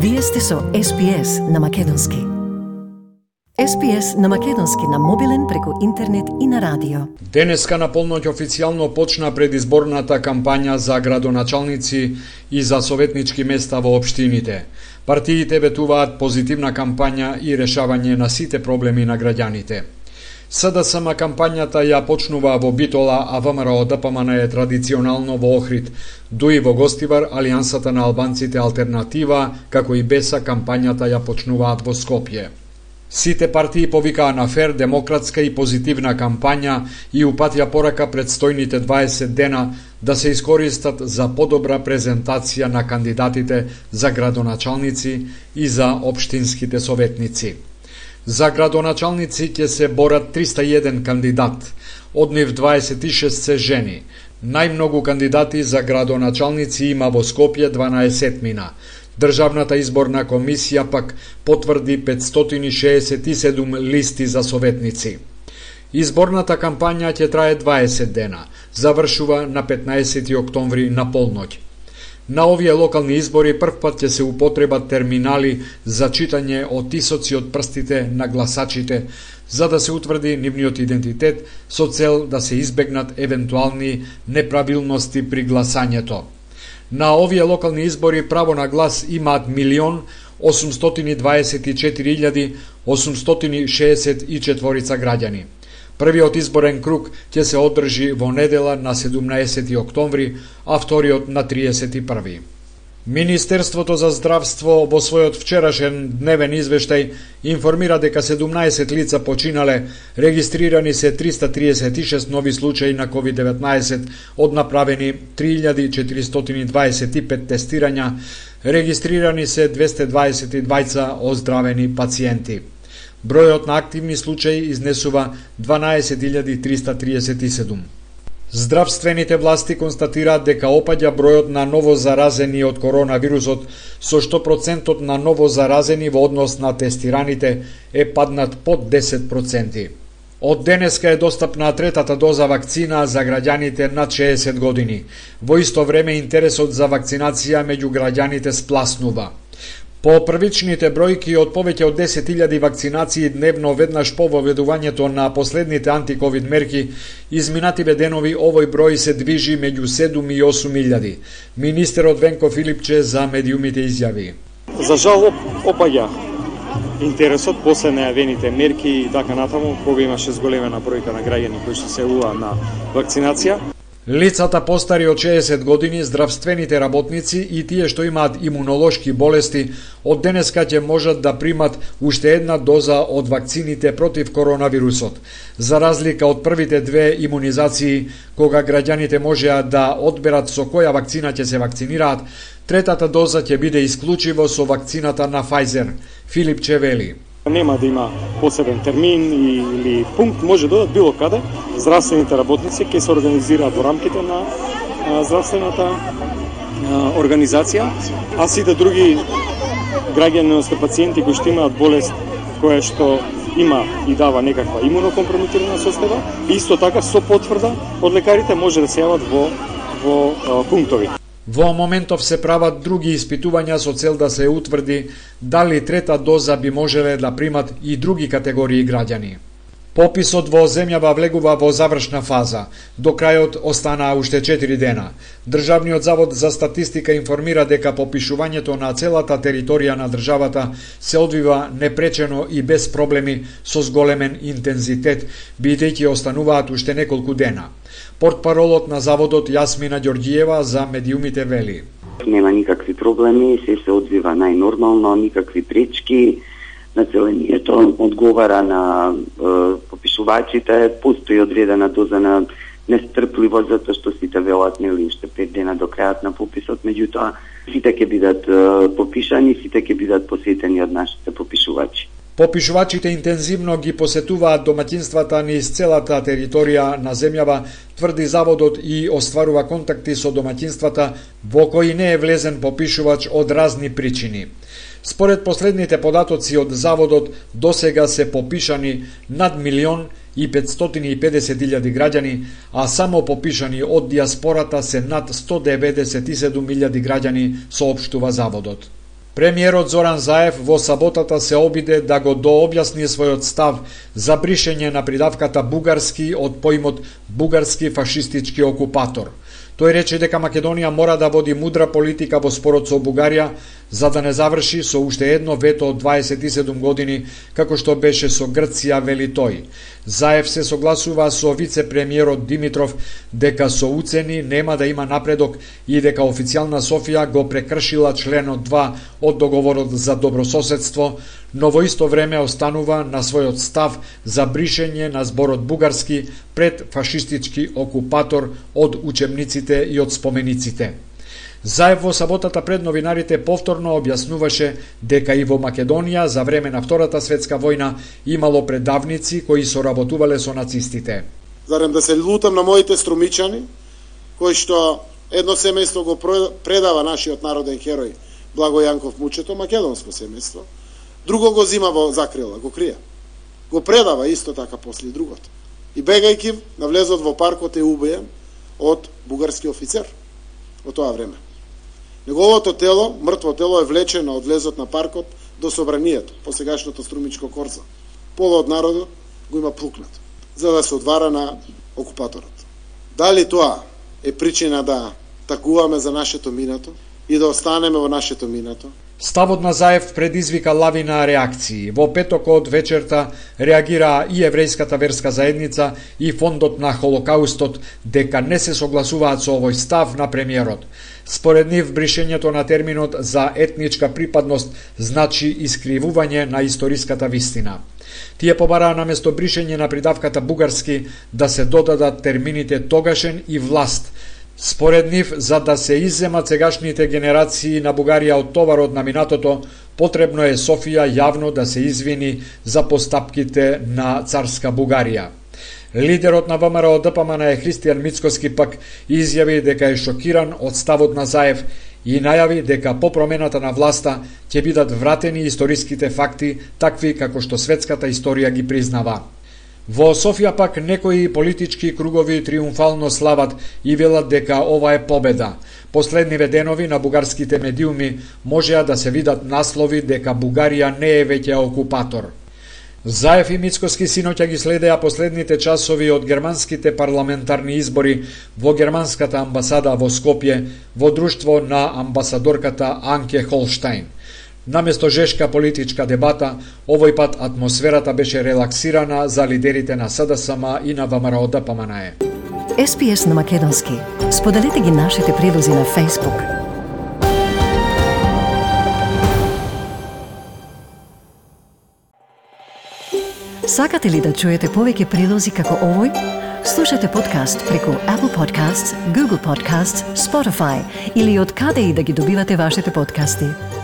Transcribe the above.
Вие сте со SPS на Македонски. SPS на Македонски на мобилен преку интернет и на радио. Денеска на полноќ официјално почна предизборната кампања за градоначалници и за советнички места во општините. Партиите ветуваат позитивна кампања и решавање на сите проблеми на граѓаните. СДСМ кампањата ја почнува во Битола, а ВМРО ДПМН е традиционално во Охрид. Дуи во Гостивар, Алијансата на албанците Алтернатива, како и БЕСА кампањата ја почнуваат во Скопје. Сите партии повикаа на фер, демократска и позитивна кампања и упатија порака предстојните 20 дена да се искористат за подобра презентација на кандидатите за градоначалници и за општинските советници. За градоначалници ќе се борат 301 кандидат, од нив 26 се жени. Најмногу кандидати за градоначалници има во Скопје 12-мина. Државната изборна комисија пак потврди 567 листи за советници. Изборната кампања ќе трае 20 дена, завршува на 15 октомври на полноќ. На овие локални избори првпат ќе се употребат терминали за читање отисоци од прстите на гласачите, за да се утврди нивниот идентитет со цел да се избегнат евентуални неправилности при гласањето. На овие локални избори право на глас имаат 1.824.864 граѓани. Првиот изборен круг ќе се одржи во недела на 17 октомври, а вториот на 31. Министерството за здравство во својот вчерашен дневен извештај информира дека 17 лица починале, регистрирани се 336 нови случаи на COVID-19, од направени 3425 тестирања, регистрирани се 222 оздравени пациенти. Бројот на активни случаи изнесува 12.337. Здравствените власти констатираат дека опаѓа бројот на новозаразени од коронавирусот, со што процентот на новозаразени во однос на тестираните е паднат под 10%. Од денеска е достапна третата доза вакцина за граѓаните над 60 години. Во исто време интересот за вакцинација меѓу граѓаните спласнува. По првичните бројки од повеќе од 10.000 вакцинации дневно веднаш по воведувањето на последните антиковид мерки, изминативе денови овој број се движи меѓу 7 и 8.000. Министерот Венко Филипче за медиумите изјави: За жал опаѓа интересот после најавените мерки и така натаму, кога имаше зголемена бројка на граѓани кои се јавува на вакцинација. Лицата постари од 60 години, здравствените работници и тие што имаат имунолошки болести, од денеска ќе можат да примат уште една доза од вакцините против коронавирусот. За разлика од првите две имунизации, кога граѓаните можеа да одберат со која вакцина ќе се вакцинираат, третата доза ќе биде исклучиво со вакцината на Pfizer. Филип Чевели: Нема да има посебен термин или пункт, може да било каде. Здравствените работници ќе се организираат во рамките на здравствената организација, а сите други граѓани, одnosno пациенти кои што имаат болест која што има и дава некаква имунокомпрометирана состојба, исто така со потврда од лекарите може да се јават во пунктови. Во моментов се прават други испитувања со цел да се утврди дали трета доза би можеле да примат и други категории граѓани. Пописот во земјава влегува во завршна фаза. До крајот останаа уште 4 дена. Државниот завод за статистика информира дека попишувањето на целата територија на државата се одвива непречено и без проблеми со зголемен интензитет, бидејќи остануваат уште неколку дена. Портпаролот на заводот Јасмина Ѓорѓиева за медиумите вели: Нема никакви проблеми, се одвива најнормално, никакви пречки. Населението одговара на попишувачите, постои одредена доза на нестрпливост, затоа што сите велат нели уште 5 дена до крајот на пописот, меѓутоа сите ќе бидат попишани, сите ќе бидат посетени од нашите попишувачи. Попишувачите интензивно ги посетуваат домаќинствата низ целата територија на земјава, тврди заводот, и остварува контакти со домаќинствата во кои не е влезен попишувач од разни причини. Според последните податоци од заводот, досега се попишани над 1.550.000 граѓани, а само попишани од диаспората се над 197.000 граѓани, соопштува заводот. Премиерот Зоран Заев во саботата се обиде да го дообјасни својот став за бришење на придавката бугарски од поимот бугарски фашистички окупатор. Тој рече дека Македонија мора да води мудра политика во спорот со Бугарија, за да не заврши со уште едно вето од 27 години, како што беше со Грција, вели тој. Заев се согласува со вице-премиерот Димитров дека со уцени нема да има напредок и дека официјална Софија го прекршила членот 2 од договорот за добрососедство, но во исто време останува на својот став за бришење на зборот бугарски пред фашистички окупатор од учебниците и од спомениците. Заев во саботата пред новинарите повторно објаснуваше дека и во Македонија за време на Втората светска војна имало предавници кои соработувале со нацистите. Зарем да се лутам на моите струмичани, кои што едно семејство го предава нашиот народен херој Благо Јанков Мучето, македонско семејство, друго го зима во закрила, го крие. Го предава исто така после другото. И бегајќи на влезот во паркот е убиен од бугарски офицер во тоа време. Неговото тело, мртво тело, е влечено од влезот на паркот до собранието, по сегашното Струмичко корзо. Пола од народот го има плукнат, за да се одвара на окупаторот. Дали тоа е причина да такуваме за нашето минато и да останеме во нашето минато? Ставот на Заев предизвика лавина реакции. Во петокот вечерта реагираа и еврејската верска заедница и фондот на Холокаустот дека не се согласуваат со овој став на премиерот. Според нив, бришењето на терминот за етничка припадност значи искривување на историската вистина. Тие побараа наместо бришење на придавката бугарски да се додадат термините тогашен и власт. Според нив, за да се изземат сегашните генерации на Бугарија од товарот на минатото, потребно е Софија јавно да се извини за постапките на царска Бугарија. Лидерот на ВМРО ДПМН Христијан Мицкоски пак изјави дека е шокиран од ставот на Заев и најави дека по промената на власта ќе бидат вратени историските факти, такви како што светската историја ги признава. Во Софија пак некои политички кругови триумфално слават и велат дека ова е победа. Последниве денови на бугарските медиуми можеа да се видат наслови дека Бугарија не е веќе окупатор. Заев и Мицкоски синоќа ги следеа последните часови од германските парламентарни избори во германската амбасада во Скопје во друштво на амбасадорката Анке Холштајн. Наместо жешка политичка дебата, овој пат атмосферата беше релаксирана за лидерите на СДСМ и на ВМРО ДПМН. SPS на македонски. Споделете ги нашите прилози на Facebook. Сакате ли да чуете повеќе прилози како овој? Слушате подкаст преку Apple Podcasts, Google Podcasts, Spotify или од каде и да ги добивате вашите подкасти.